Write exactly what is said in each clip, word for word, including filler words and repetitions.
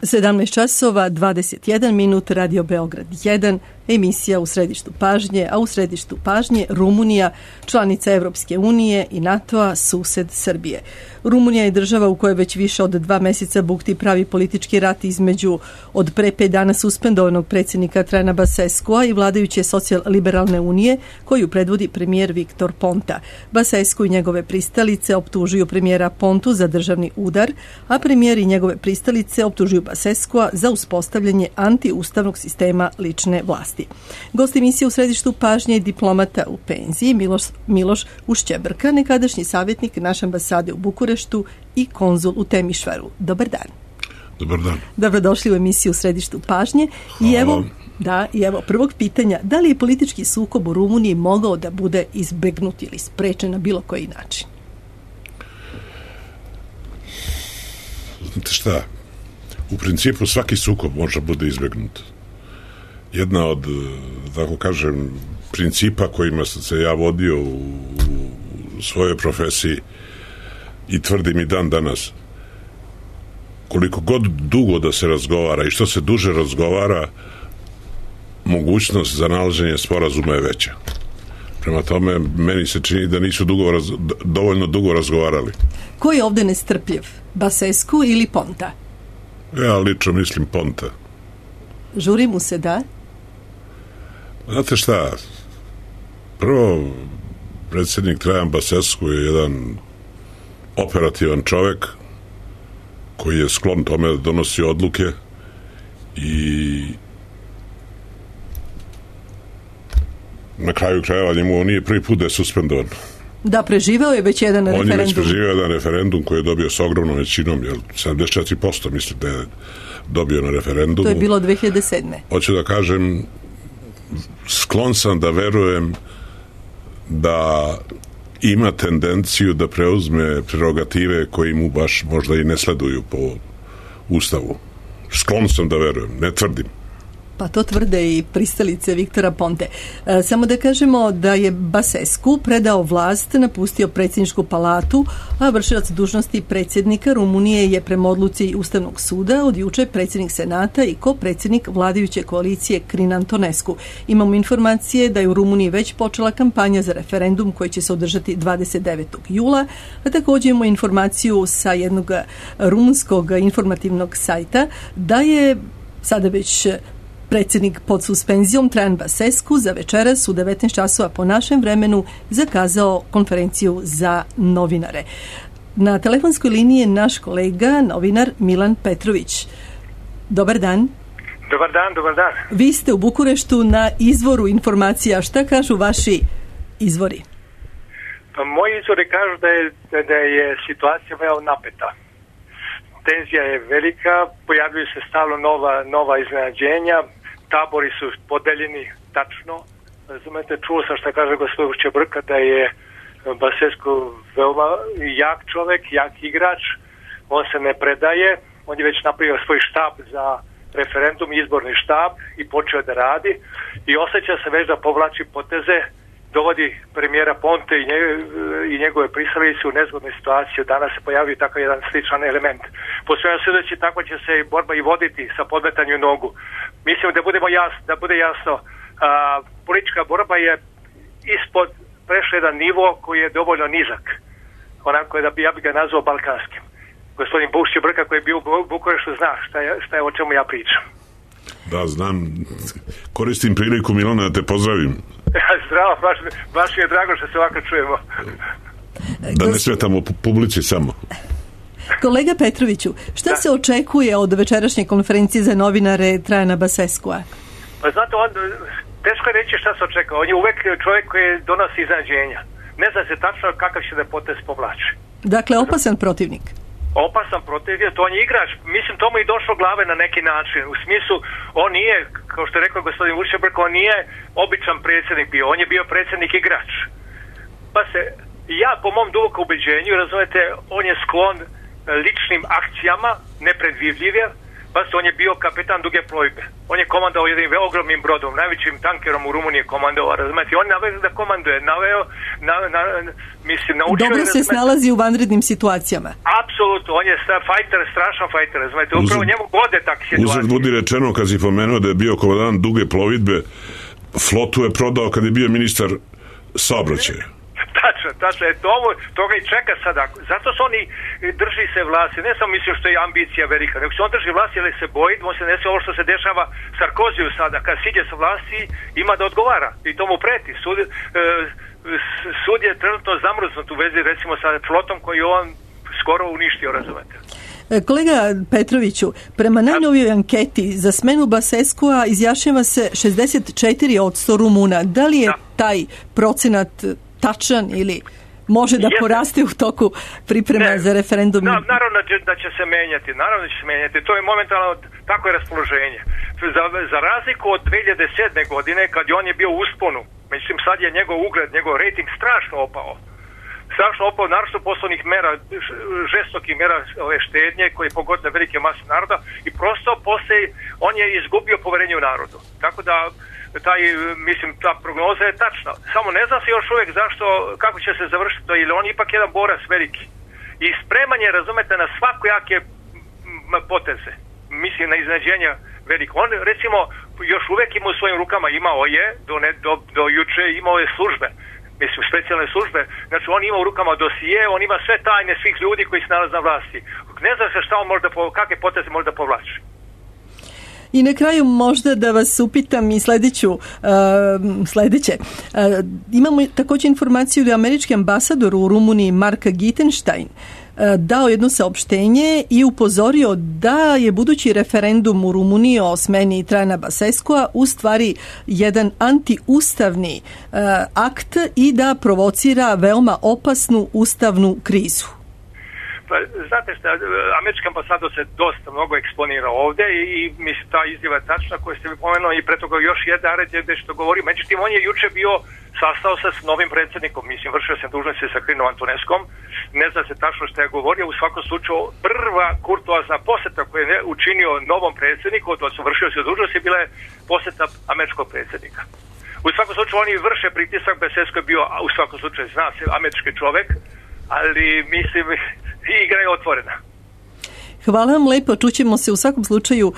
sedamnaest časova, dvadeset jedan minut, Radio Beograd jedan, emisija U središtu pažnje, a u središtu pažnje Rumunija, članica Evropske unije i NATO-a, sused Srbije. Rumunija je država u kojoj već više od dva meseca bukti pravi politički rat između od pre pet dana suspendovanog predsjednika Trajana Basescua i vladajuće socijal-liberalne unije, koju predvodi premijer Viktor Ponta. Basescu i njegove pristalice optužuju premijera Pontu za državni udar, a premijer i njegove pristalice optužuju Basescua za uspostavljanje antiustavnog sistema lične vlasti. Gost emisije U središtu pažnje je diplomata u penziji Miloš, Miloš Ušćebrka, nekadašnji savjetnik naše ambasade u Bukureštu i konzul u Temišvaru. Dobar dan. Dobar dan. Dobrodošli u emisiju U središtu pažnje. I evo, da, i evo prvog pitanja, da li je politički sukob u Rumuniji mogao da bude izbegnut ili sprečen na bilo koji način? Znate šta, u principu svaki sukob može bude izbegnut. Jedna od, tako kažem, principa kojima sam se ja vodio u, u svojoj profesiji i tvrdim i dan danas, koliko god dugo da se razgovara i što se duže razgovara, mogućnost za nalaženje sporazuma je veća. Prema tome, meni se čini da nisu dugo raz, dovoljno dugo razgovarali. Ko je ovde nestrpljiv? Basescu ili Ponta? Ja lično mislim Ponta. Žuri mu se, da? Znate šta, prvo, predsjednik Trajan Basescu je jedan operativan čovjek koji je sklon tome da donosi odluke i na kraju krajeva njemu nije prvi put da je suspendovan. Da, preživeo je već jedan On referendum. On je već preživeo jedan referendum koji je dobio s ogromnom većinom, jer sedamdeset četiri posto mislim da je dobio na referendumu. To je bilo dve hiljade sedme. Hoću da kažem, sklon sam da verujem da ima tendenciju da preuzme prerogative koji mu baš možda i ne sleduju po Ustavu. Sklon sam da verujem, ne tvrdim. Pa to tvrde i pristalice Viktora Ponte. E, samo da kažemo da je Basescu predao vlast, napustio predsjedničku palatu, a vršilac dužnosti predsjednika Rumunije je prema odluci Ustavnog suda od juče predsjednik Senata i ko-predsjednik vladajuće koalicije Crin Antonescu. Imamo informacije da je u Rumuniji već počela kampanja za referendum koji će se održati dvadeset devetog jula, a također imamo informaciju sa jednog rumunskog informativnog sajta da je sada već predsjednik pod suspenzijom Trajan Basescu za večeras u devetnaest časova po našem vremenu zakazao konferenciju za novinare. Na telefonskoj liniji je naš kolega, novinar Milan Petrović. Dobar dan. Dobar dan, dobar dan. Vi ste u Bukureštu na izvoru informacija. Šta kažu vaši izvori? Pa moji izvori kažu da je, da je situacija veoma napeta. Tenzija je velika, pojavljuju se stalno nova, nova iznenađenja, tabori su podeljeni tačno. Razumete, čuo sam šta kaže gospodin Ušćebrka da je Basescu veoma jak čovjek, jak igrač, on se ne predaje, on je već napravio svoj štab za referendum, izborni štab i počeo da radi i osjeća se već da povlači poteze, dovodi premijera Ponte i, nje, i njegove pristalice u nezgodnu situaciju. Danas se pojavio takav jedan sličan element. Po svemu sudeći, tako će se borba i voditi sa podmetanju nogu. Mislim da budemo jasno, da bude jasno, a, politička borba je ispod prešla jedan nivo koji je dovoljno nizak. Onako da bi, ja bi ga nazvao balkanskim. Gospodin Ušćebrka koji je bio u Bukureštu zna šta je, šta je o čemu ja pričam. Da, znam. Koristim priliku, Milana, da te pozdravim. Zdravo, baš, baš mi je drago što se ovako čujemo. Da ne smetamo publici samo. Kolega Petroviću, šta da. se očekuje od večerašnje konferencije za novinare Trajana Basescua? Pa znate, on, teško je reći šta se očekuje. On je uvek čovjek koji donosi iznenađenja. Ne zna se tačno kakav će da potez povlači. Dakle, opasan protivnik. Opasan protivnik, to on je igrač. Mislim, tomu i došlo glave na neki način. U smislu, on nije, kao što je rekao gospodin Ušćebrka, on nije običan predsjednik bio. On je bio predsjednik igrač. Pa se, ja po mom dubokom ubeđenju, razumete, on je sklon ličnim akcijama, nepredvidljive, Pa on je bio kapetan duge plovidbe. On je komandovao jednim ogromnim brodom, najvećim tankerom u Rumuniji komandovao, razumete? On naveo da komanduje, naveo, na, na, mislim, naučio... Dobro se snalazi u vanrednim situacijama. Apsolutno, on je fajter, strašan fajter, razumete? Upravo njemu gode takve situacije. Uzad budi rečeno, kad si pomenuo da je bio komandant duge plovidbe, flotu je prodao kad je bio ministar saobraćaja. Tačno, tačno, je to, toga i čeka sada. Zato se oni drži se vlasti, ne samo mislim što je ambicija velika, nego se on drži vlasti jer se boji, on se desi ovo što se dešava Sarkoziju sada, kad siđe sa vlasti ima da odgovara i to mu preti. Sud, e, sud je trenutno zamrznut u vezi recimo sa flotom koju on skoro uništio, razumete. Kolega Petroviću, prema najnovijoj anketi za smenu Baseskua izjašnjava se šezdeset četiri posto Rumuna. Da li je da. taj procenat tačan ili može da poraste u toku priprema ne, za referendum? Da, naravno da će, da će se menjati, naravno da će se menjati. To je momentalno, tako je raspoloženje. Za, za razliku od dve hiljade sedme. godine, kad je on je bio u usponu, mislim sad je njegov ugled, njegov rating strašno opao. Strašno opao, naravno poslovnih mera, žestokih mera ove štednje koje pogodne velike mase naroda i prosto posle on je izgubio poverenje u narodu. Tako da taj, mislim, ta prognoza je tačna. Samo ne zna se još uvijek zašto, kako će se završiti to, ili on ipak jedan borac veliki. I spreman je, razumete, na svakojake poteze. Mislim, na iznenađenja veliko. On, recimo, još uvijek ima u svojim rukama, imao je, do, ne, do, do juče imao je službe. Mislim, specijalne službe. Znači, on ima u rukama dosije, on ima sve tajne svih ljudi koji se nalaze na vlasti. Ne zna se šta on možda, kakve poteze možda povlači. I na kraju možda da vas upitam i sledeću, uh, sledeće. Uh, imamo također informaciju da je američki ambasador u Rumuniji Mark Gittenstein uh, dao jedno saopštenje i upozorio da je budući referendum u Rumuniji o smeni Trajana Baseskua u stvari jedan antiustavni uh, akt i da provocira veoma opasnu ustavnu krizu. Pa, znate šta, američki ambasador se dosta mnogo eksponira ovdje i, i mislim ta izjava je tačna koju ste mi pomenuli i pre toga još jedan red je što govori. Međutim, on je juče bio sastao se s novim predsjednikom, mislim, vršio se dužnosti sa Krinom Antoneskom, ne zna se tačno što je govorio, u svakom slučaju prva kurtoazna posjeta koju je učinio novom predsjedniku, to su vršio se dužnosti, bila je posjeta američkog predsjednika. U svakom slučaju oni vrše pritisak, Basescu je bio, u svakom slučaju zna se, američki čovjek, ali mislim igra je otvorena. Hvala vam lepo, čućemo se u svakom slučaju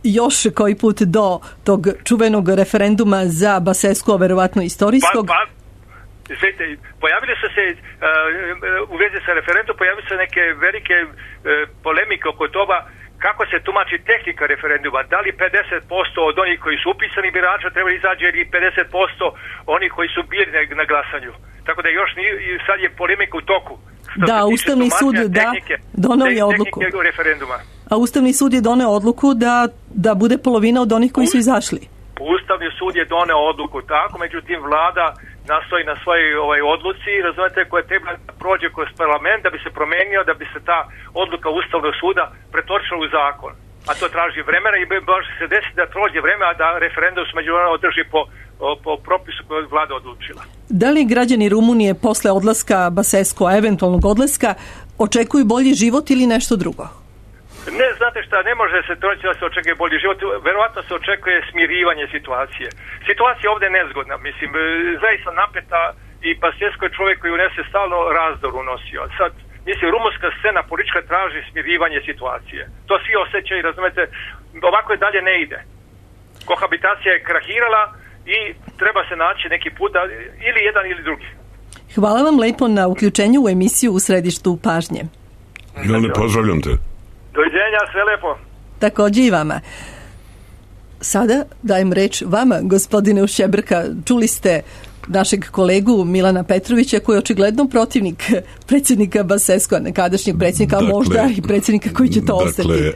još koji put do tog čuvenog referenduma za Baseskua, verovatno istorijskog. Pa, pa, zvijete, pojavili su se uh, u vezi sa referendumom, pojavili su neke velike uh, polemike oko toga kako se tumači tehnika referenduma. Da li pedeset posto od onih koji su upisani birača treba izađe ili pedeset posto onih koji su bili na glasanju. Tako da još nije, sad je polemika u toku. Da, Ustavni sud da doneo je odluku. A Ustavni sud je doneo odluku da, da bude polovina od onih koji su izašli. Ustavni sud je doneo odluku tako, međutim vlada nastoji na svojoj ovaj, odluci, razumete, koja treba da prođe kroz parlament da bi se promenio, da bi se ta odluka Ustavnog suda pretočila u zakon. A to traži vremena i može se desiti da prođe vreme, a da referendum se međunarodno održi po, po propisu koju je vlada odlučila. Da li građani Rumunije posle odlaska Baseskua, eventualnog odlaska, očekuju bolji život ili nešto drugo? Ne, znate šta, ne može se troći da se očekuje bolji život, verovatno se očekuje smirivanje situacije. Situacija ovdje je nezgodna, mislim, zaista napeta i Basescu je čovjek koji unese stalno razdor unosio. Sad, mislim, rumunska scena politička traži smirivanje situacije. To svi osjećaju, razumete, ovako je dalje ne ide. Kohabitacija je krahirala i treba se naći neki put da, ili jedan ili drugi. Hvala vam lepo na uključenju u emisiju U središtu pažnje. Milane, pozdravljam te. Doviđenja, sve lepo. Također i vama. Sada dajem reč vama, gospodine Ušebrka. Čuli ste našeg kolegu Milana Petrovića koji je očigledno protivnik predsjednika Baseskua, nekadašnjeg predsjednika, dakle, a možda i predsjednika koji će to dakle, ostati.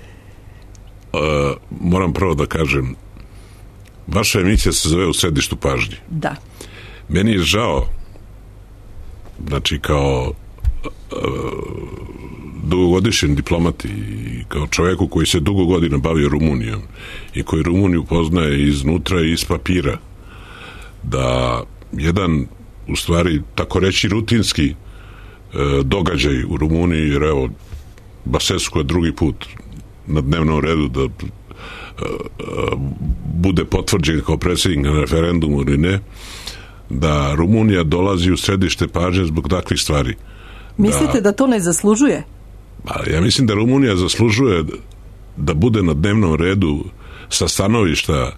Uh, moram prvo da kažem, vaša emisija se zove U središtu pažnje. Da. Meni je žao, znači kao uh, dugogodišnjem diplomati i kao čovjeku koji se dugo godina bavio Rumunijom i koji Rumuniju poznaje iznutra i iz papira, da jedan, u stvari, tako reći rutinski e, događaj u Rumuniji, jer evo, Basescu je drugi put na dnevnom redu da bude potvrđen kao predsjednik na referendumu ili ne, da Rumunija dolazi u središte pažnje zbog takvih stvari. Mislite da, da to ne zaslužuje? Pa ja mislim da Rumunija zaslužuje da bude na dnevnom redu sa stanovišta,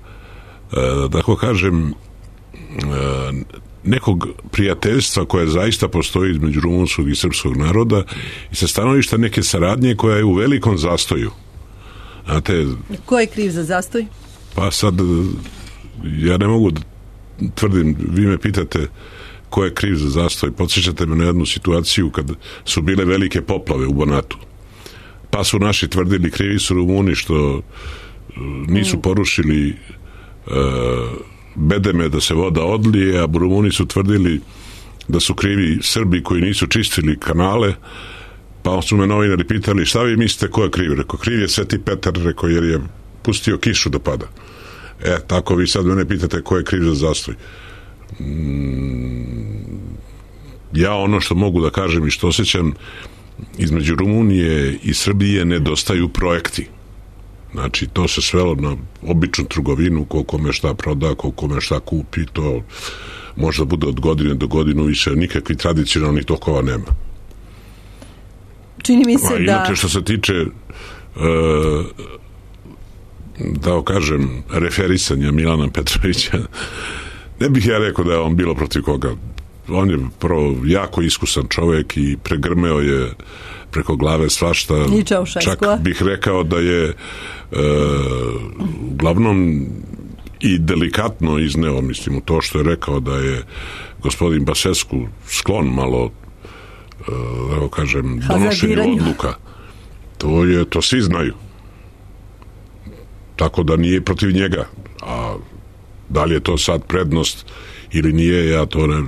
da tako kažem, nekog prijateljstva koje zaista postoji između rumunskog i srpskog naroda i sa stanovišta neke saradnje koja je u velikom zastoju. Znate, ko je kriv za zastoj? Pa sad ja ne mogu da tvrdim, vi me pitate ko je kriv za zastoj. Podsjećate me na jednu situaciju kad su bile velike poplave u Banatu. Pa su naši tvrdili krivi su Rumuni što nisu porušili uh, bedeme da se voda odlije, a Rumuni su tvrdili da su krivi Srbi koji nisu čistili kanale. Pa su me novinari pitali šta vi mislite ko je kriv? Rekao, kriv je Sveti Petar, rekao, jer je pustio kišu da pada. E, tako vi sad mene pitate ko je kriv za zastoj. Mm, ja ono što mogu da kažem i što osjećam, između Rumunije i Srbije nedostaju projekti. Znači, to se svelo na običnu trgovinu, ko kome šta proda, ko kome šta kupi, to možda bude od godine do godinu, više nikakvih tradicionalnih tokova nema. Čini mi se A, da... Inače, što se tiče e, da kažem referisanja Milana Petrovića, ne bih ja rekao da je on bilo protiv koga. On je prvo jako iskusan čovjek i pregrmeo je preko glave svašta. Čak bih rekao da je e, uglavnom i delikatno izneo, mislim, u to što je rekao da je gospodin Basescu sklon malo da kažem donošenju odluka. To je, to svi znaju. Tako da nije protiv njega. A da li je to sad prednost ili nije, ja to ne,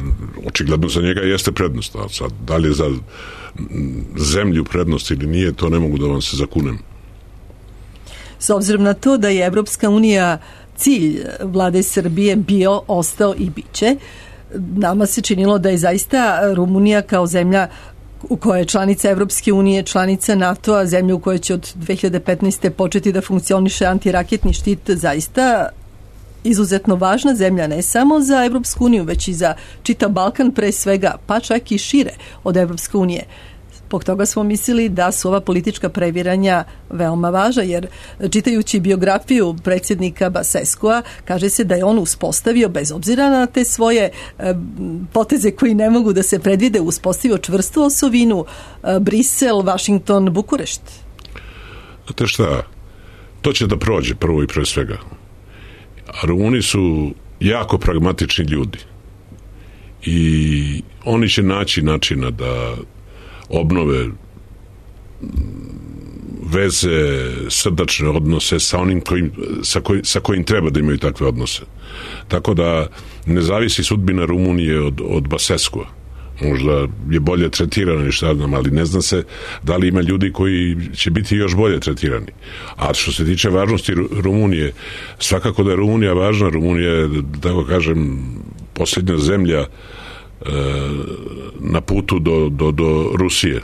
očigledno za njega jeste prednost. A sad, da li je za zemlju prednost ili nije, to ne mogu da vam se zakunem. S obzirom na to da je Evropska unija cilj vlade Srbije bio, ostao i biće, nama se činilo da je zaista Rumunija kao zemlja u kojoj je članica Evropske unije, članica NATO-a, zemlja u kojoj će od dve hiljade petnaeste. početi da funkcioniše antiraketni štit, zaista izuzetno važna zemlja, ne samo za Evropsku uniju, već i za čitav Balkan pre svega, pa čak i šire od Evropske unije. Zbog toga smo mislili da su ova politička previranja veoma važna, jer čitajući biografiju predsjednika Basescua, kaže se da je on uspostavio, bez obzira na te svoje e, poteze koji ne mogu da se predvide, uspostavio čvrstu osovinu e, Brisel, Washington, Bukurešt. Znate šta, to će da prođe prvo i pre svega. A Rumuni su jako pragmatični ljudi i oni će naći načina da obnove veze, srdačne odnose sa onim kojim, sa, koj, sa kojim treba da imaju takve odnose. Tako da ne zavisi sudbina Rumunije od, od Basescua. Možda je bolje tretirana i šta znam, ali ne zna se da li ima ljudi koji će biti još bolje tretirani. A što se tiče važnosti Rumunije, svakako da je Rumunija važna. Rumunija je, da tako kažem, posljednja zemlja e, na putu do, do, do Rusije.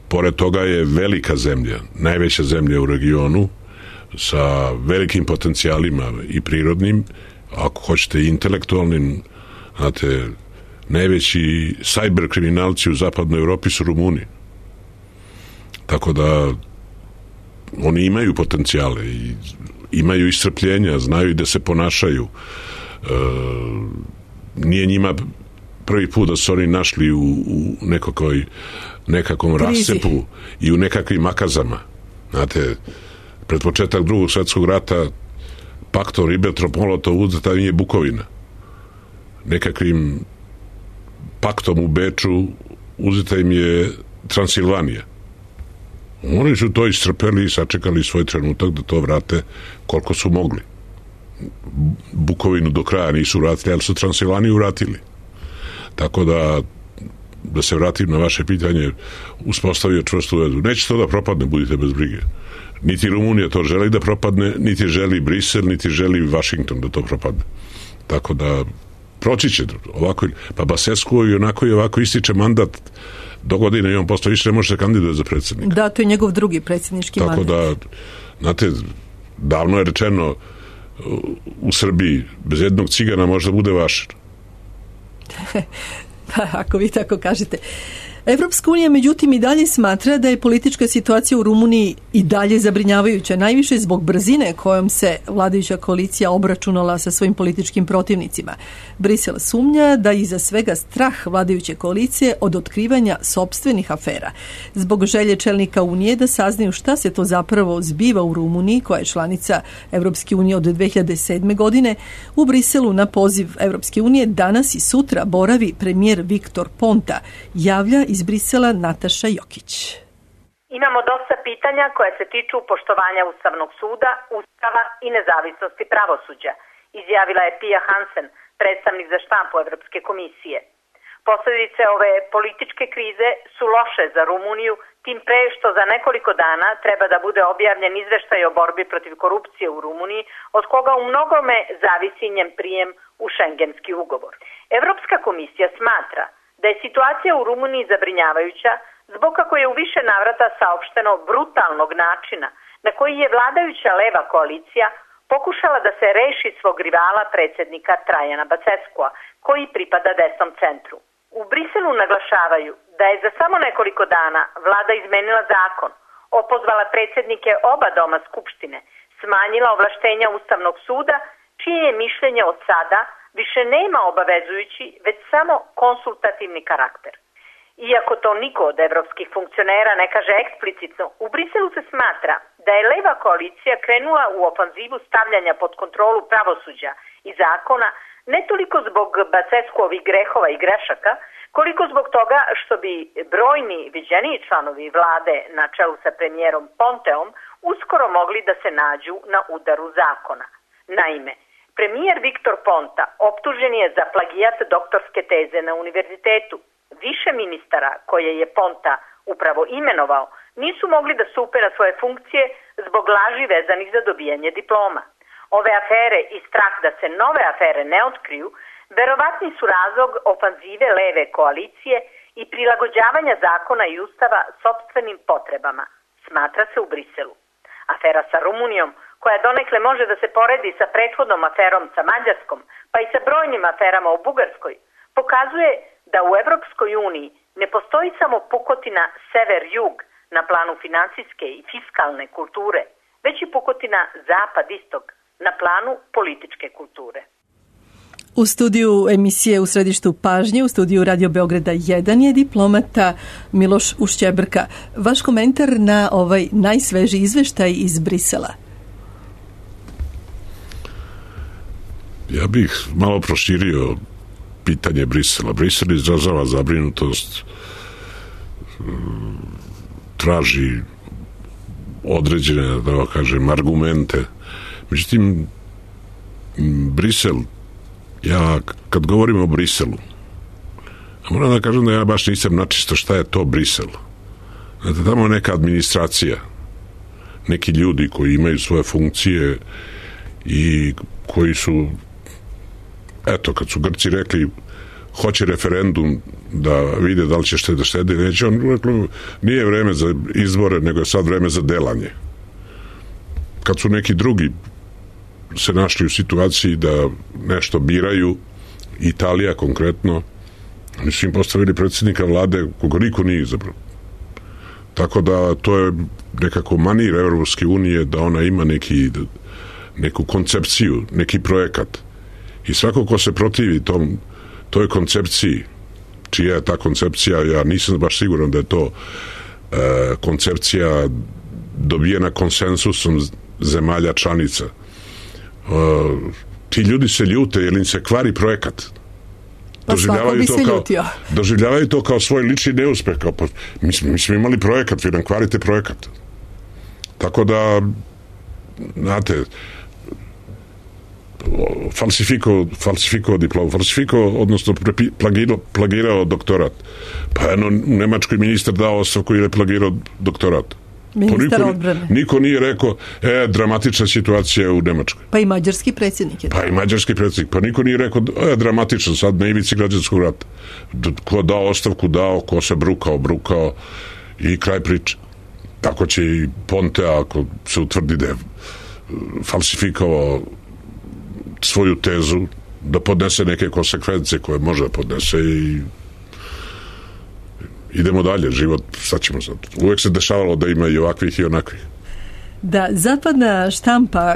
Pored toga je velika zemlja, najveća zemlja u regionu, sa velikim potencijalima i prirodnim, ako hoćete i intelektualnim. Znate, najveći sajber kriminalci u zapadnoj Evropi su Rumuni. Tako da oni imaju potencijale i imaju iscrpljenja, znaju i da se ponašaju. E, nije njima prvi put da su oni našli u, u nekakvoj, nekakvom rasepu i u nekakvim makazama. Znate, pred početak drugog svjetskog rata paktom Ribbentrop-Molotov uzeta im je Bukovina. Nekakvim paktom u Beču uzeta im je Transilvanija. Oni su to istrpeli i sačekali svoj trenutak da to vrate koliko su mogli. Bukovinu do kraja nisu vratili, ali su Transilvaniju vratili. Tako da, da se vratim na vaše pitanje, uspostavio čvrstu vezu. Neće to da propadne, budite bez brige. Niti Rumunija to želi da propadne, niti želi Brisel, niti želi Washington da to propadne. Tako da proći će ovako, pa Basescu i onako i ovako ističe mandat do godine i on posto više ne može se kandidovati za predsjednika. Da, to je njegov drugi predsjednički Tako mandat. da, znate, davno je rečeno u Srbiji bez jednog cigana možda bude vašar. Pa, ako vi tako kažete. Evropska unija međutim i dalje smatra da je politička situacija u Rumuniji i dalje zabrinjavajuća, najviše zbog brzine kojom se vladajuća koalicija obračunala sa svojim političkim protivnicima. Brisel sumnja da iza svega strah vladajuće koalicije od otkrivanja sopstvenih afera. Zbog želje čelnika Unije da saznaju šta se to zapravo zbiva u Rumuniji, koja je članica Evropske unije od dve hiljade sedme. godine, u Briselu na poziv Evropske unije danas i sutra boravi premijer Viktor Ponta, javlja iz Brisela Nataša Jokić. Imamo dosta pitanja koje se tiču poštovanja Ustavnog suda, Ustava i nezavisnosti pravosuđa, izjavila je Pia Hansen, predstavnik za štampu Evropske komisije. Posljedice ove političke krize su loše za Rumuniju, tim pre što za nekoliko dana treba da bude objavljen izveštaj o borbi protiv korupcije u Rumuniji, od koga u mnogome zavisi njen prijem u šengenski ugovor. Evropska komisija smatra da je situacija u Rumuniji zabrinjavajuća zbog kako je u više navrata saopšteno brutalnog načina na koji je vladajuća leva koalicija pokušala da se reši svog rivala predsjednika Trajana Baseskua, koji pripada desnom centru. U Briselu naglašavaju da je za samo nekoliko dana vlada izmenila zakon, opozvala predsjednike oba doma Skupštine, smanjila ovlaštenja Ustavnog suda, čije je mišljenje od sada više nema obavezujući, već samo konsultativni karakter. Iako to niko od evropskih funkcionera ne kaže eksplicitno, u Briselu se smatra da je leva koalicija krenula u ofanzivu stavljanja pod kontrolu pravosuđa i zakona ne toliko zbog Baseskuovih grehova i grešaka, koliko zbog toga što bi brojni viđeniji članovi vlade na čelu sa premijerom Ponteom uskoro mogli da se nađu na udaru zakona. Naime, premijer Viktor Ponta optužen je za plagijat doktorske teze na univerzitetu. Više ministara koje je Ponta upravo imenovao nisu mogli da stupe na svoje funkcije zbog laži vezanih za dobijanje diploma. Ove afere i strah da se nove afere ne otkriju verovatni su razlog ofanzive leve koalicije i prilagođavanja zakona i ustava sopstvenim potrebama, smatra se u Briselu. Afera sa Rumunijom, koja donekle može da se poredi sa prethodnom aferom sa Mađarskom, pa i sa brojnim aferama u Bugarskoj, pokazuje da u Evropskoj uniji ne postoji samo pukotina sever-jug na planu financijske i fiskalne kulture, već i pukotina zapad-istog na planu političke kulture. U studiju emisije U središtu pažnje, u studiju Radio Beograda jedan je diplomata Miloš Ušćebrka. Vaš komentar na ovaj najsvežiji izveštaj iz Brisela? Ja bih malo proširio pitanje Brisela. Brisel izražava zabrinutost, traži određene, da kažem, argumente. Međutim, Brisel, ja kad govorim o Briselu, moram da kažem da ja baš nisam načisto šta je to Brisel. Znate, tamo je neka administracija, neki ljudi koji imaju svoje funkcije i koji su, eto, kad su Grci rekli hoće referendum da vide da li će štede štede, neće, on rekao nije vreme za izbore, nego je sad vreme za delanje. Kad su neki drugi se našli u situaciji da nešto biraju, Italija konkretno, oni su im postavili predsjednika vlade koga niko nije izabrao. Tako da to je nekako manir Evropske unije da ona ima neki, neku koncepciju, neki projekat. I svako ko se protivi tom, toj koncepciji, čija je ta koncepcija, ja nisam baš siguran da je to e, koncepcija dobijena konsensusom zemalja članica. Uh, ti ljudi se ljute jer im se kvari projekat. Pa doživljavaju to, kao, doživljavaju to kao svoj lični neuspeh. Kao, pa, mi, smo, mi smo imali projekat, vi nam kvarite projekat. Tako da, znate, falsifiko, falsifiko diplom, falsifiko, odnosno plagirao, plagirao doktorat. Pa jedno, u Nemačkoj ministar dao ostavku jer je plagirao doktorat. Ministar niko, odbrane. Niko nije rekao, e, dramatična situacija u Nemačkoj. Pa i mađarski predsjednik je. Pa i mađarski predsjednik. Pa niko nije rekao, e, dramatično, sad na ivici građanskog rata. Ko dao ostavku, dao, ko se brukao, brukao i kraj priče. Tako će i Ponte, ako se utvrdi da je falsifikovao svoju tezu, da podnese neke konsekvence koje može da podnese i idemo dalje, život, šta ćemo sad? Uvijek se dešavalo da ima i ovakvih i onakvih. Da, zapadna štampa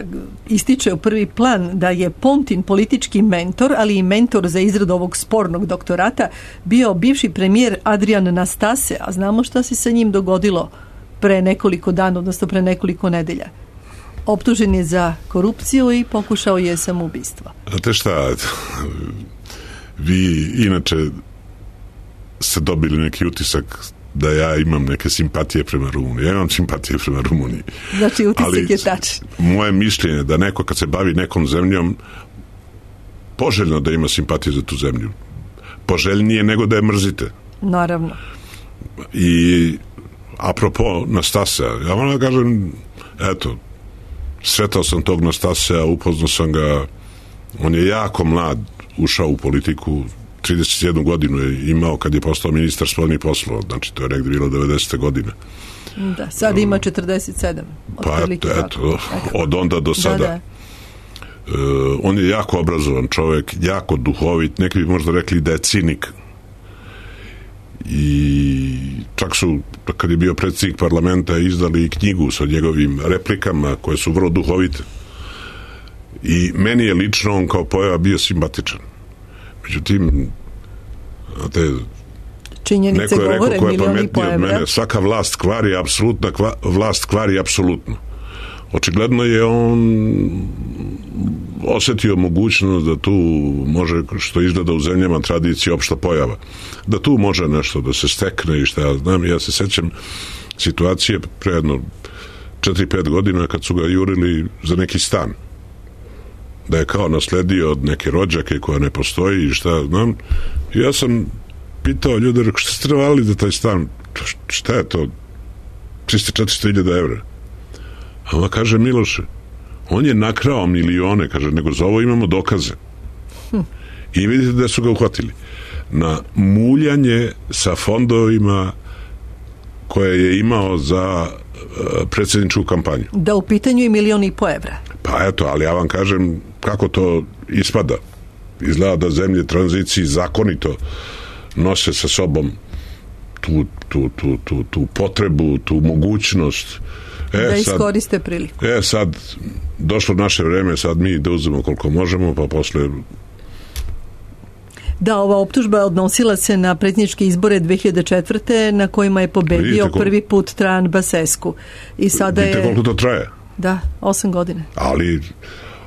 ističe u prvi plan da je Pontin politički mentor, ali i mentor za izradu ovog spornog doktorata bio bivši premijer Adrian Nastase, a znamo šta se sa njim dogodilo pre nekoliko dana, odnosno pre nekoliko nedelja. Optužen je za korupciju i pokušao je samoubistvo. Znate šta, vi inače ste dobili neki utisak da ja imam neke simpatije prema Rumuniji. Ja imam simpatije prema Rumuniji. Znači, utisak je tačan. Moje mišljenje da neko kad se bavi nekom zemljom poželjno da ima simpatije za tu zemlju. Poželjnije nego da je mrzite. Naravno. I apropo Nastasea, ja moram da kažem, eto, sretao sam tog Nastasea, upoznao sam ga, on je jako mlad ušao u politiku, trideset jednu godinu je imao kad je postao ministar spoljnih poslova, znači to je negdje bilo devedesete godine. Da, sad ima četrdeset sedam. Pa eto, eto, od onda do sada. Da, da. Uh, on je jako obrazovan čovjek, jako duhovit, neki bi možda rekli da je cinik. I čak su, kad je bio predsjednik parlamenta, izdali i knjigu sa njegovim replikama koje su vrlo duhovite. I meni je lično on kao pojava bio simpatičan. Međutim, znate, činjenice neko je rekao ko je pametniji od mene, svaka vlast kvari apsolutna, kva, vlast kvari apsolutno. Očigledno je on osjetio mogućnost da tu može, što izgleda u zemljama tradicije, opšta pojava, da tu može nešto da se stekne i šta ja znam. Ja se sećam situacije pre jedno četiri pet godina kad su ga jurili za neki stan, da je kao nasledio od neke rođake koja ne postoji i šta znam. I ja sam pitao ljude, rekao, šta ste trebali za taj stan? Šta je to? trista četiristo hiljada evra. A ona kaže, Miloše, on je nakrao milione, kaže, nego za ovo imamo dokaze. Hm. I vidite da su ga uhvatili na muljanje sa fondovima koje je imao za uh, predsjedničku kampanju. Da u pitanju je milion i po evra. Pa eto, ali ja vam kažem kako to ispada. Izgleda da zemlje tranziciji zakonito nose sa sobom tu, tu, tu, tu, tu potrebu, tu mogućnost. E, da iskoriste priliku. E, sad, došlo naše vreme, sad mi da uzmemo koliko možemo, pa posle... Da, ova optužba odnosila se na predsjedničke izbore dve hiljade četvrte na kojima je pobedio kol... prvi put Trajan Basescu. I sada vidite je... koliko to traje? Da, osam godine. Ali,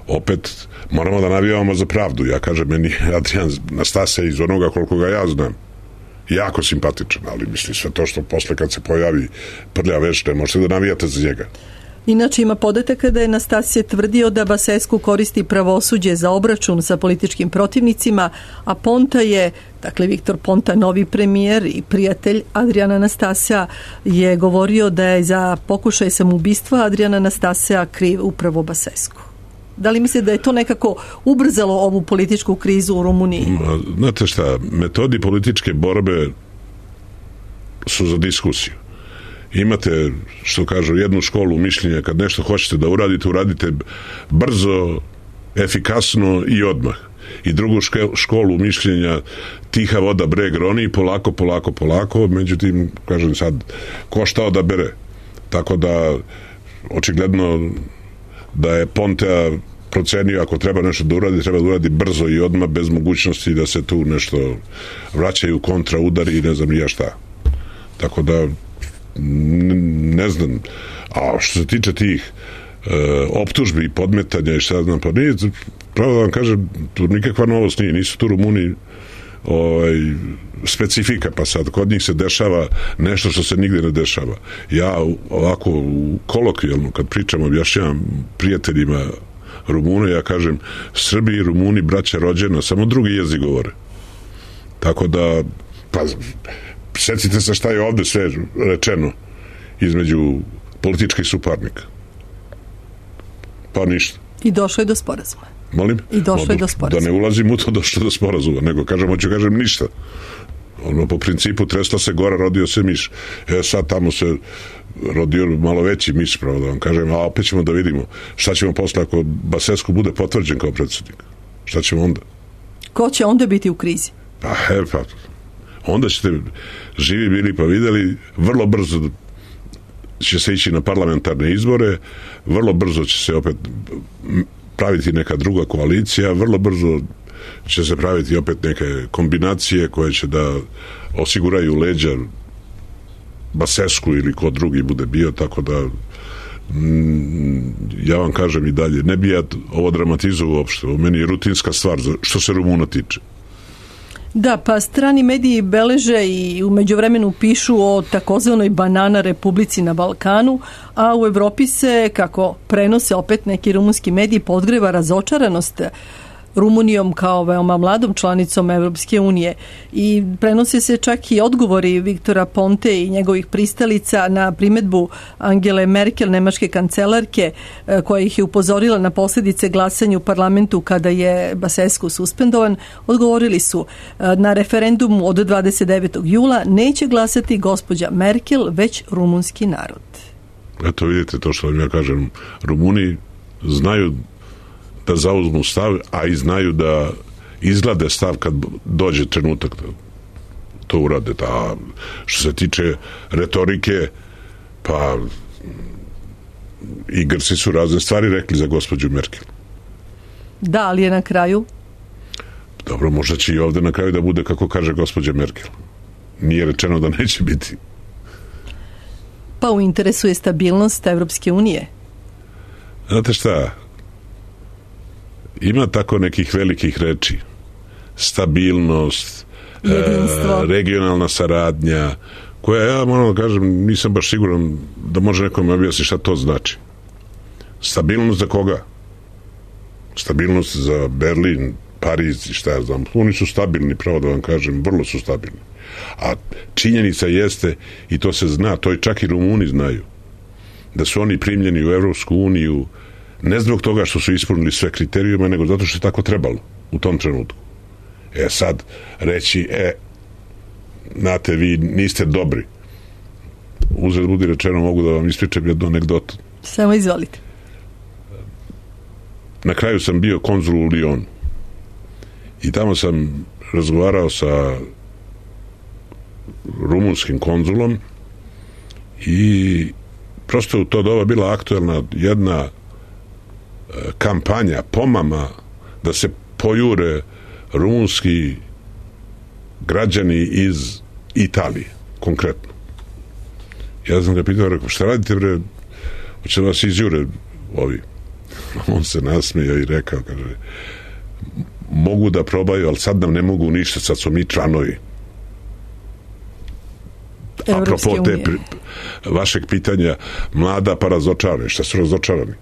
opet, moramo da navijamo za pravdu. Ja kažem, meni Adrian Nastase iz onoga koliko ga ja znam, jako simpatičan, ali mislim sve to što posle kad se pojavi prlja veš, ne možete da navijate za njega. Inače ima podataka da je Nastasije tvrdio da Basescu koristi pravosuđe za obračun sa političkim protivnicima, a Ponta je, dakle Viktor Ponta, novi premijer i prijatelj Adriana Nastasea, je govorio da je za pokušaj samoubistva Adriana Nastasea kriv upravo Basescu. Da li mislite da je to nekako ubrzalo ovu političku krizu u Rumuniji? Znate šta, metodi političke borbe su za diskusiju. Imate, što kažu, jednu školu mišljenja, kad nešto hoćete da uradite, uradite brzo, efikasno i odmah. I drugu školu mišljenja, tiha voda breg roni, polako, polako, polako, međutim, kažem sad, ko šta odabere. Tako da, očigledno, da je Pontea procenio ako treba nešto da uradi, treba da uradi brzo i odmah, bez mogućnosti da se tu nešto vraćaju kontra, udari i ne znam ja šta. Tako da ne znam. A što se tiče tih e, optužbi i podmetanja i šta znam, pa nije, pravo da vam kažem, tu nikakva novost nije, nisu tu Rumuni ovaj, specifika, pa sad kod njih se dešava nešto što se nigde ne dešava. Ja ovako kolokvijalno kad pričam, objašnjavam prijateljima Rumuna, ja kažem, Srbi i Rumuni braća rođena, samo drugi jezik govore. Tako da, pa setite se šta je ovde sve rečeno između politički suparnik. Pa ništa. I došlo je do sporazuma. Molim? I došlo je do sporazuma. Da ne ulazim u to, došlo do sporazuma, nego kažem, hoću kažem ništa. Ono, po principu, tresla se gora, rodio se miš. E, sad tamo se rodio malo veći miš, pravo da vam kažem, a opet ćemo da vidimo šta ćemo posle ako Basescu bude potvrđen kao predsjednik. Šta ćemo onda? Ko će onda biti u krizi? Pa, he, pa, onda ćete živi bili pa videli, vrlo brzo će se ići na parlamentarne izbore, vrlo brzo će se opet praviti neka druga koalicija, vrlo brzo će se praviti opet neke kombinacije koje će da osiguraju leđa Basescu ili ko drugi bude bio, tako da mm, ja vam kažem i dalje, ne bi ja ovo dramatizovao uopšte, u meni je rutinska stvar što se Rumuna tiče. Da, pa strani mediji beleže i u međuvremenu pišu o takozvanoj banana republici na Balkanu, a u Evropi se, kako prenose opet neki rumunski mediji, podgreva razočaranost Rumunijom kao veoma mladom članicom Evropske unije i prenose se čak i odgovori Viktora Ponte i njegovih pristalica na primedbu Angele Merkel, nemačke kancelarke, koja ih je upozorila na posljedice glasanja u parlamentu kada je Basescu suspendovan. Odgovorili su: na referendumu od dvadeset devetog jula neće glasati gospođa Merkel, već rumunski narod. Eto vidite to što vam ja kažem, Rumuni znaju da zauzmu stav, a i znaju da izglade stav kad dođe trenutak da to urade. Ta, što se tiče retorike, pa i Grci su razne stvari rekli za gospođu Merkel. Da, ali je na kraju? Dobro, možda će i ovde na kraju da bude kako kaže gospođa Merkel. Nije rečeno da neće biti. Pa u interesu je stabilnost Evropske unije. Znate šta, ima tako nekih velikih reči. Stabilnost, e, regionalna saradnja, koja ja moram da kažem, nisam baš siguran da može nekom objasniti šta to znači. Stabilnost za koga? Stabilnost za Berlin, Pariz i šta ja znam. Oni su stabilni, pravo da vam kažem, vrlo su stabilni. A činjenica jeste, i to se zna, to i čak i Rumuni znaju, da su oni primljeni u Evropsku uniju ne zbog toga što su ispunili sve kriterijume, nego zato što je tako trebalo u tom trenutku. E sad reći, e, znate, vi niste dobri. Uzred budi rečeno, mogu da vam ispričam jednu anegdotu. Samo izvolite. Na kraju sam bio konzul u Lyonu i tamo sam razgovarao sa rumunskim konzulom i prosto u to doba bila aktuelna jedna kampanja, pomama da se pojure rumunski građani iz Italije, konkretno. Ja sam ga pitao, rekao, šta radite, bre, hoće vas izjure ovi. On se nasmijao i rekao, kaže, mogu da probaju, ali sad nam ne mogu ništa, sad su mi članovi. Apropo te pri, vašeg pitanja, mlada pa razočarani. Šta su razočarani?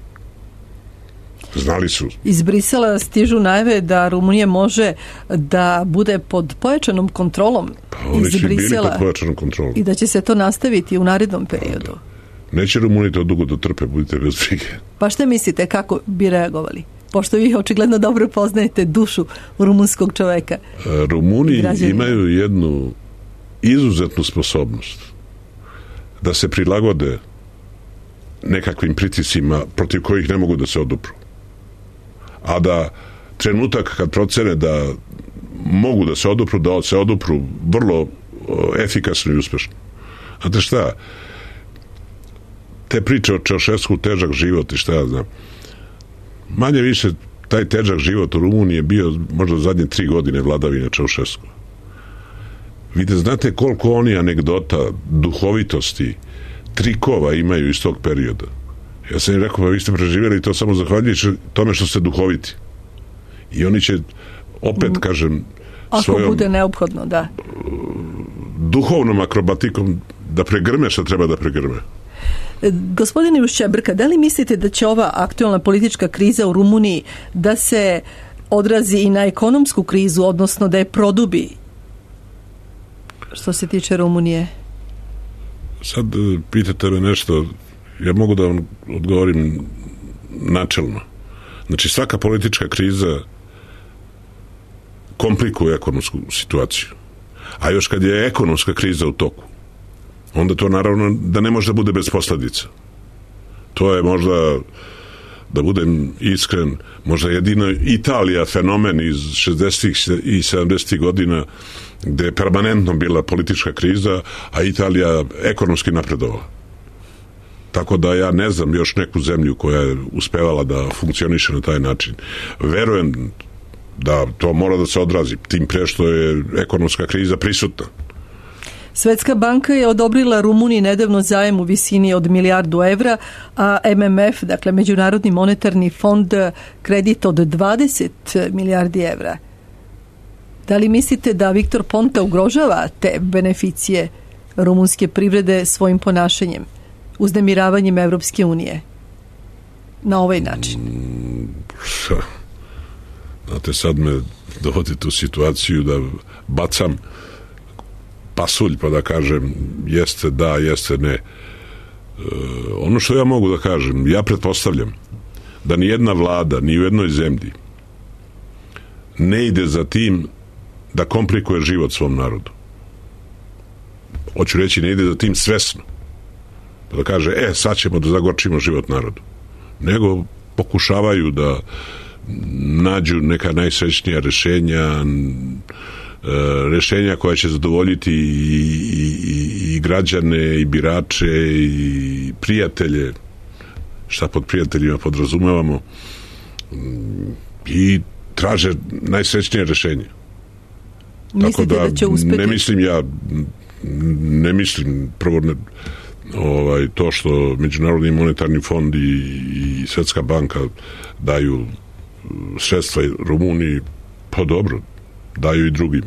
Znali su. Iz Brisela stižu najave da Rumunija može da bude pod pojačanom kontrolom. Pa oni će bili pod pojačanom kontrolom. I da će se to nastaviti u narednom periodu. Pa, neće Rumuni to dugo da trpe, budite bez brige. Pa šta mislite, kako bi reagovali? Pošto vi očigledno dobro poznajete dušu rumunskog čoveka. Rumuni imaju jednu izuzetnu sposobnost da se prilagode nekakvim pritiscima protiv kojih ne mogu da se odupru. A da trenutak kad procene da mogu da se odupru, da se odupru vrlo efikasno i uspešno. Znate šta? Te priče o Čaušesku, težak život i šta ja znam. Manje više taj težak život u Rumuniji je bio možda zadnje tri godine vladavine Čaušesku. Vidite, znate koliko oni anegdota, duhovitosti, trikova imaju iz tog perioda. Ja sam im rekao, pa vi ste preživjeli to samo zahvaljujući tome što ste duhoviti. I oni će opet, kažem, ako svojom bude neophodno, da. duhovnom akrobatikom da pregrme što treba da pregrme. Gospodine Ušćebrka, da li mislite da će ova aktualna politička kriza u Rumuniji da se odrazi i na ekonomsku krizu, odnosno da je produbi što se tiče Rumunije? Sad pitate me nešto, Ja mogu da vam odgovorim načelno. Znači, svaka politička kriza komplikuje ekonomsku situaciju. A još kad je ekonomska kriza u toku, onda to naravno da ne može da bude bez posljedica. To je možda, da budem iskren, možda jedino Italija fenomen iz šezdesetih i sedamdesetih godina gde je permanentno bila politička kriza, a Italija ekonomski napredovala. Tako da ja ne znam još neku zemlju koja je uspevala da funkcioniše na taj način. Verujem da to mora da se odrazi, tim pre što je ekonomska kriza prisutna. Svetska banka je odobrila Rumuniji nedavno zajam u visini od milijardu evra, a M M F, dakle Međunarodni monetarni fond, kredit od dvadeset milijardi evra. Da li mislite da Viktor Ponta ugrožava te beneficije rumunske privrede svojim ponašanjem, uznemiravanjem Evropske unije na ovaj način? Znate, sad me dovodite u situaciju da bacam pasulj pa da kažem jeste da, jeste ne. E, ono što ja mogu da kažem, ja pretpostavljam da ni jedna vlada, ni u jednoj zemlji ne ide za tim da komplikuje život svom narodu. Hoću reći, ne ide za tim svesno. Pa da kaže, e, sad ćemo da zagorčimo život narodu. Nego pokušavaju da nađu neka najsrećnija rešenja, rešenja koja će zadovoljiti i, i, i građane, i birače, i prijatelje, šta pod prijateljima podrazumevamo, i traže najsrećnije rešenje. Mislite Tako da, da će uspeti? Ne mislim ja, ne mislim prvo ne, ovaj, to što Međunarodni monetarni fond i, i Svetska banka daju sredstva Rumuniji, pa dobro, daju i drugim.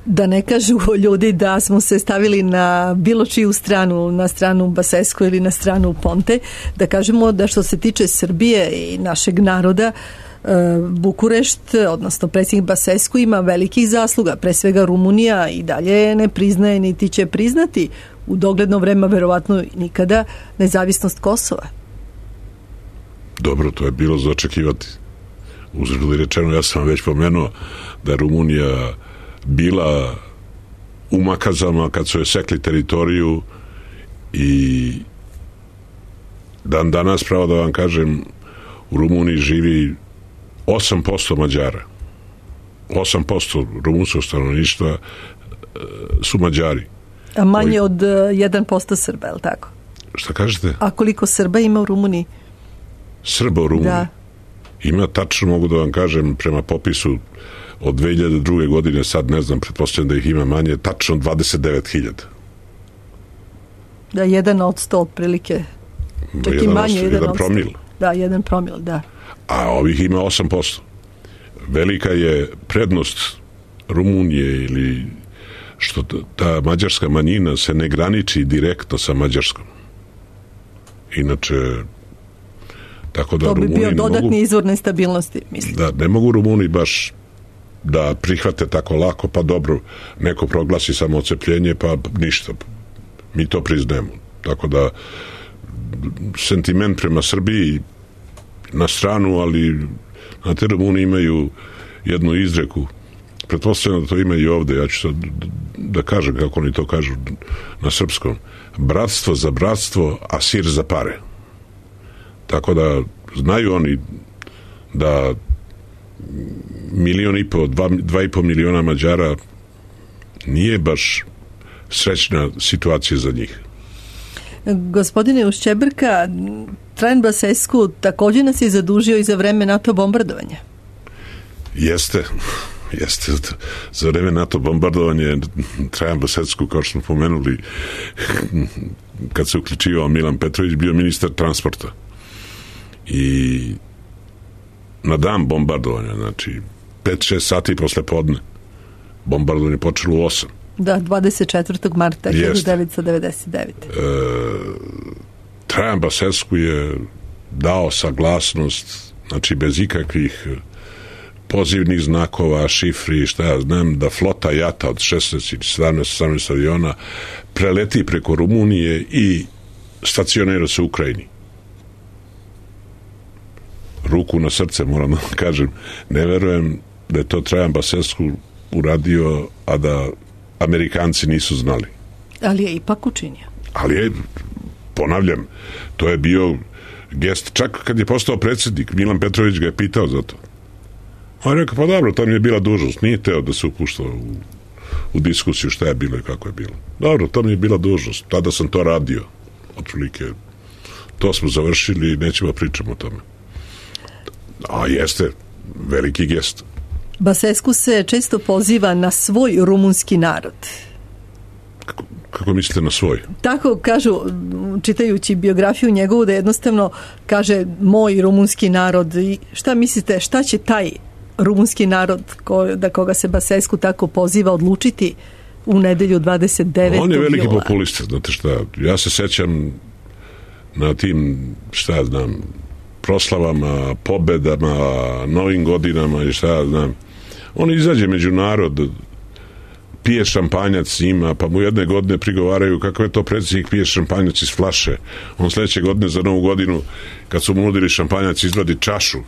Da ne kažu ljudi da smo se stavili na bilo čiju stranu, na stranu Basescu ili na stranu Ponte, da kažemo da što se tiče Srbije i našeg naroda, Bukurešt, odnosno predsjednik Basescu, ima velikih zasluga. Pre svega Rumunija i dalje ne priznaje niti će priznati u dogledno vreme, verovatno nikada, nezavisnost Kosova. Dobro, to je bilo za očekivati. Uzgled rečeno, ja sam vam već pomenuo da je Rumunija bila u Makazama kad su je sekli teritoriju i dan danas, pravo da vam kažem, u Rumuniji živi osam posto Mađara. osam posto rumunskog stanovništva su Mađari. A manje od jedan posto Srba, je li tako? Šta kažete? A koliko Srba ima u Rumuniji? Srba u Rumuniji? Da. Ima, tačno mogu da vam kažem, prema popisu od dve hiljade druge. godine, sad ne znam, pretpostavljam da ih ima manje, tačno dvadeset devet hiljada. Da, jedan od sto otprilike. Čak i manje, jedan, jedan promil. Da, jedan promil, da. A ovih ima osam posto. Velika je prednost Rumunije ili što ta mađarska manjina se ne graniči direktno sa Mađarskom. Inače, tako da to bi Rumuni bio dodatni mogu, izvor nestabilnosti, mislim. Da, ne mogu Rumuni baš da prihvate tako lako, pa dobro, neko proglasi samo odcepljenje, pa ništa. Mi to priznajemo. Tako da sentiment prema Srbiji na stranu, ali na te Rumuni imaju jednu izreku, pretpostavljam da to ima i ovde, ja ću sad da kažem kako oni to kažu na srpskom: bratstvo za bratstvo, a sir za pare. Tako da znaju oni da milion i po, dva, dva i po miliona Mađara nije baš srećna situacija za njih. Gospodine Ušćebrka, Trajan Basescu također nas je zadužio i za vreme NATO bombardovanja. Jeste, jeste. Za vreme NATO bombardovanja Trajan Basescu, kao što smo pomenuli, kad se uključivao Milan Petrović, bio ministar transporta. I na dan bombardovanja, znači pet šest sati posle podne, bombardovanje počelo u osam. Da, dvadeset četvrtog marta hiljadu devetsto devedeset devete. E, Trajan Basescu je dao saglasnost, znači bez ikakvih pozivnih znakova, šifri, šta ja znam, da flota jata od šesnaest ili sedamnaest sedamnaest aviona preleti preko Rumunije i stacionira se u Ukrajini. Ruku na srce, moram da kažem, ne verujem da je to Trajan Basescu uradio, a da Amerikanci nisu znali. Ali je ipak učinio. Ali je, ponavljam, to je bio gest, čak kad je postao predsjednik, Milan Petrović ga je pitao za to. On je rekao, pa dobro, to mi je bila dužnost, nije teo da se upušta u, u diskusiju šta je bilo i kako je bilo. Dobro, to mi je bila dužnost, tada sam to radio, otprilike, to smo završili i nećemo pričamo o tome. A jeste, veliki gest. Basescu se često poziva na svoj rumunski narod. Kako, kako mislite na svoj? Tako kažu, čitajući biografiju njegovu, da jednostavno kaže moj rumunski narod. I šta mislite, šta će taj rumunski narod ko, da koga se Basescu tako poziva odlučiti u nedelju dvadeset devetog On je veliki jula? populista, znate šta, ja se sećam na tim, šta ja znam, proslavama, pobedama, novim godinama i šta ja znam. On izađe među narod, pije šampanjac s njima, pa mu jedne godine prigovaraju kako je to predsjednik pije šampanjac iz flaše. On sljedeće godine za novu godinu, kad su mu nudili šampanjac, izvadi čašu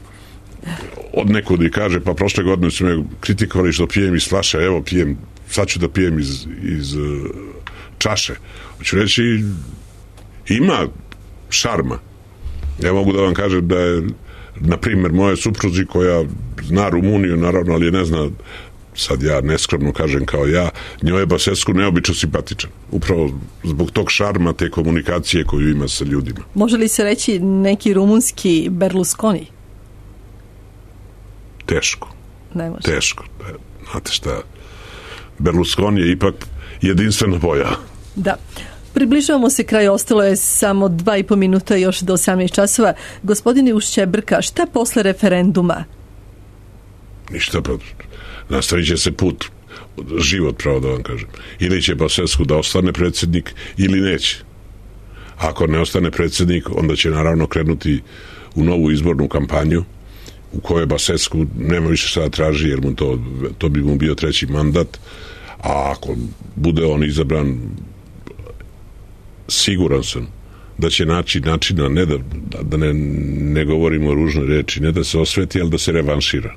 od nekud i kaže, pa prošle godine su me kritikovali što pijem iz flaše, evo pijem, sad ću da pijem iz, iz uh, čaše. Hoću reći, ima šarma. Ja mogu da vam kažem da je, na primjer, moje supruzi koja zna Rumuniju, naravno, ali je ne zna, sad ja neskromno kažem kao ja, njoj je Basescu neobično simpatičan. Upravo zbog tog šarma, te komunikacije koju ima sa ljudima. Može li se reći neki rumunski Berlusconi? Teško. Ne može. Teško. Znate šta, Berlusconi je ipak jedinstvena boja. Da. Približavamo se kraju, ostalo je samo dva i po minuta još do osamnaest časova. Gospodine Ušćebrka, šta posle referenduma? Ništa, pa nastavit će se put, život, pravo da vam kažem. Ili će Basescu da ostane predsjednik, ili neće. Ako ne ostane predsjednik, onda će naravno krenuti u novu izbornu kampanju, u kojoj Basescu nema više šta da traži, jer mu to, to bi mu bio treći mandat, a ako bude on izabran, siguran sam da će naći načina, ne da, da ne, ne govorimo ružne reči, ne da se osveti, ali da se revanšira.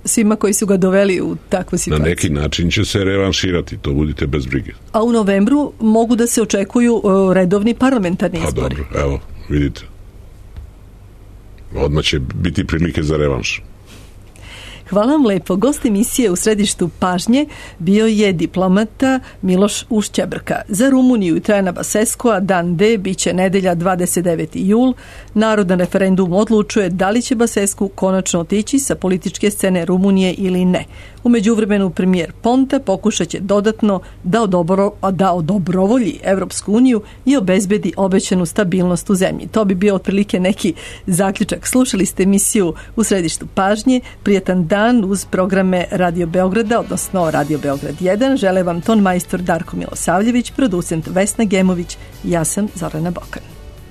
Svima koji su ga doveli u takvu situaciju. Na neki način će se revanširati, to budite bez brige. A u novembru mogu da se očekuju uh, redovni parlamentarni izbori. A dobro, evo, vidite. Odmah će biti prilike za revanš. Hvala vam lepo. Gost emisije u središtu pažnje bio je diplomata Miloš Ušćebrka. Za Rumuniju i Trajana Basescua dan D biće nedelja dvadeset deveti jul. Narod na referendum odlučuje da li će Basescu konačno otići sa političke scene Rumunije ili ne. U međuvremenu premijer Ponta pokušat će dodatno da, odobro, da odobrovolji Evropsku uniju i obezbedi obećanu stabilnost u zemlji. To bi bio otprilike neki zaključak. Slušali ste emisiju u središtu pažnje. Prijetan dan uz programe Radio Beograda, odnosno Radio Beograd jedan. Žele vam ton majstor Darko Milosavljević, producent Vesna Gemović i ja sam Zorana Bokan.